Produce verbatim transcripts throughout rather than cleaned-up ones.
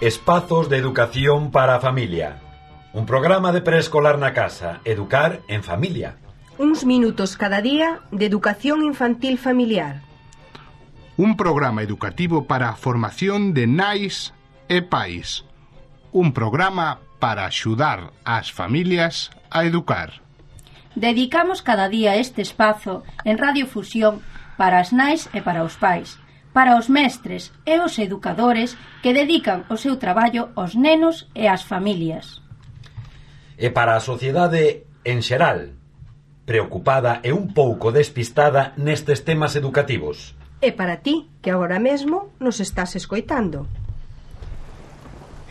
Espazos de educación para a familia. Un programa de preescolar na casa, educar en familia. Uns minutos cada día de educación infantil familiar. Un programa educativo para a formación de nais e pais. Un programa para axudar ás familias a educar. Dedicamos cada día este espazo en Radiofusión para as nais e para os pais, para os mestres e os educadores que dedican o seu traballo aos nenos e ás familias. E para a sociedade en xeral, preocupada e un pouco despistada nestes temas educativos. E para ti, que agora mesmo nos estás escoitando.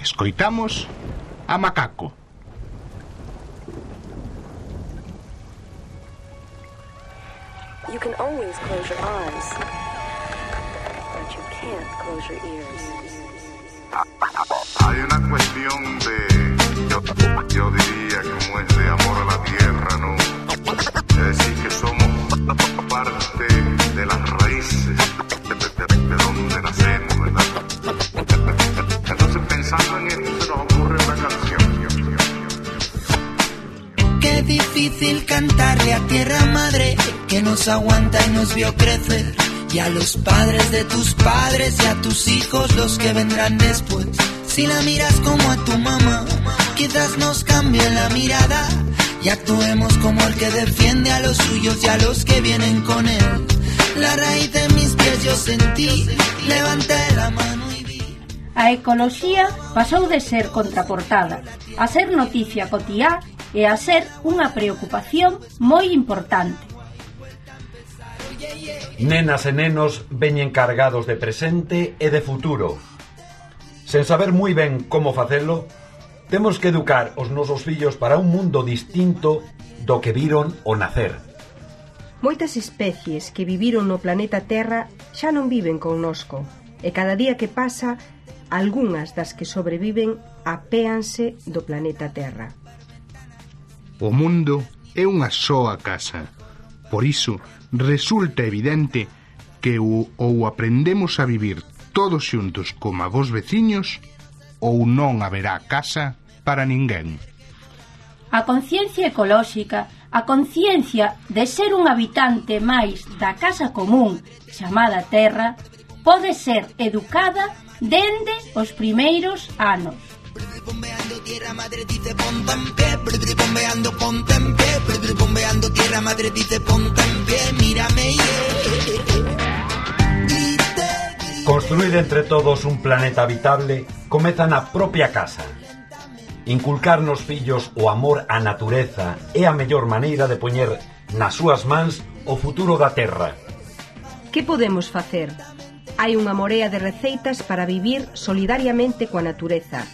Escoitamos a Macaco. You can always close your eyes, but you can't close your ears. Hay una cuestión de, yo, yo diría como es de amor a la tierra, ¿no? Es decir, que somos parte de las raíces de, de, de, de donde nacemos, ¿verdad? Entonces, pensando en esto, se nos ocurre una canción. Qué difícil cantarle a tierra madre que nos aguanta y nos vio crecer, y a los padres de tus padres y a tus hijos, los que vendrán después. Si la miras como a tu mamá, quizás nos cambie la mirada y actuemos como el que defiende a los suyos y a los que vienen con él. La raíz de mis pies yo sentí, levanté la mano y vi. A ecoloxía pasou de ser contraportada a ser noticia cotiá e a ser unha preocupación moi importante. Nenas e nenos veñen cargados de presente e de futuro. Sen saber moi ben como facelo, temos que educar os nosos fillos para un mundo distinto do que viron ao nacer. Moitas especies que viviron no planeta Terra xa non viven connosco, e cada día que pasa, algunhas das que sobreviven apéanse do planeta Terra. O mundo é unha soa casa. Por iso, resulta evidente que ou, ou aprendemos a vivir todos xuntos como a vos veciños, ou non haberá casa para ninguén. A conciencia ecolóxica, a conciencia de ser un habitante máis da casa común chamada Terra, pode ser educada dende os primeiros anos. Bombeando tierra madre dice ponte en pie, bombeando ponte en pie, bombeando tierra madre dice ponte en pie, mírame yeah. Construir entre todos un planeta habitable comeza na propia casa. Inculcar nos fillos o amor á natureza é a mellor maneira de poñer nas súas mans o futuro da terra. Que podemos facer? Hai unha morea de receitas para vivir solidariamente coa natureza.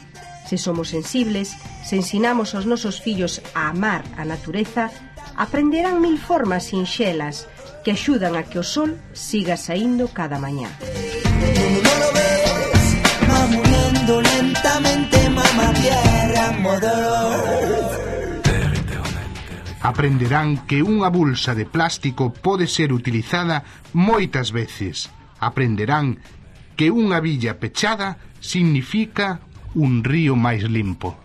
Se somos sensibles, se ensinamos aos nosos fillos a amar a natureza, aprenderán mil formas sinxelas que axudan a que o sol siga saindo cada mañá. No lo ves, va muriendo lentamente mamá tierra, mother earth. Aprenderán que unha bolsa de plástico pode ser utilizada moitas veces. Aprenderán que unha billa pechada significa un río máis limpo.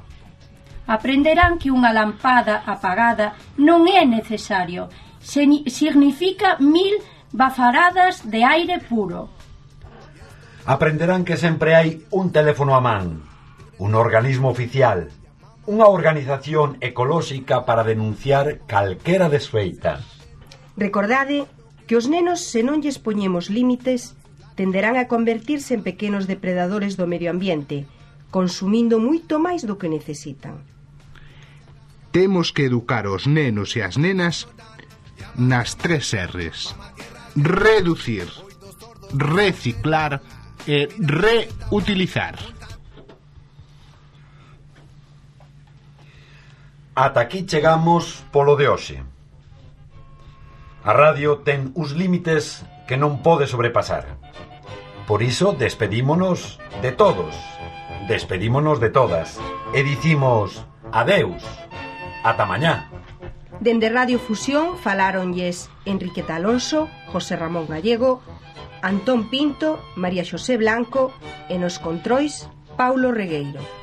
Aprenderán que unha lampada apagada non é necesario, significa mil bafaradas de aire puro. Aprenderán que sempre hai un teléfono a man, un organismo oficial, unha organización ecolóxica para denunciar calquera desfeita. Recordade que os nenos, se non lles poñemos límites, tenderán a convertirse en pequenos depredadores do medio ambiente, consumindo moito máis do que necesitan. Temos que educar os nenos e as nenas nas tres R's: reducir, reciclar e reutilizar. Ata aquí chegamos polo de hoxe. A radio ten uns límites que non pode sobrepasar. Por iso despedímonos de todos. Despedímonos de todas e dicimos adeus, ata mañá. Dende Radio Fusión faláronlles Enriqueta Alonso, José Ramón Gallego, Antón Pinto, María Xosé Blanco e nos controis Paulo Regueiro.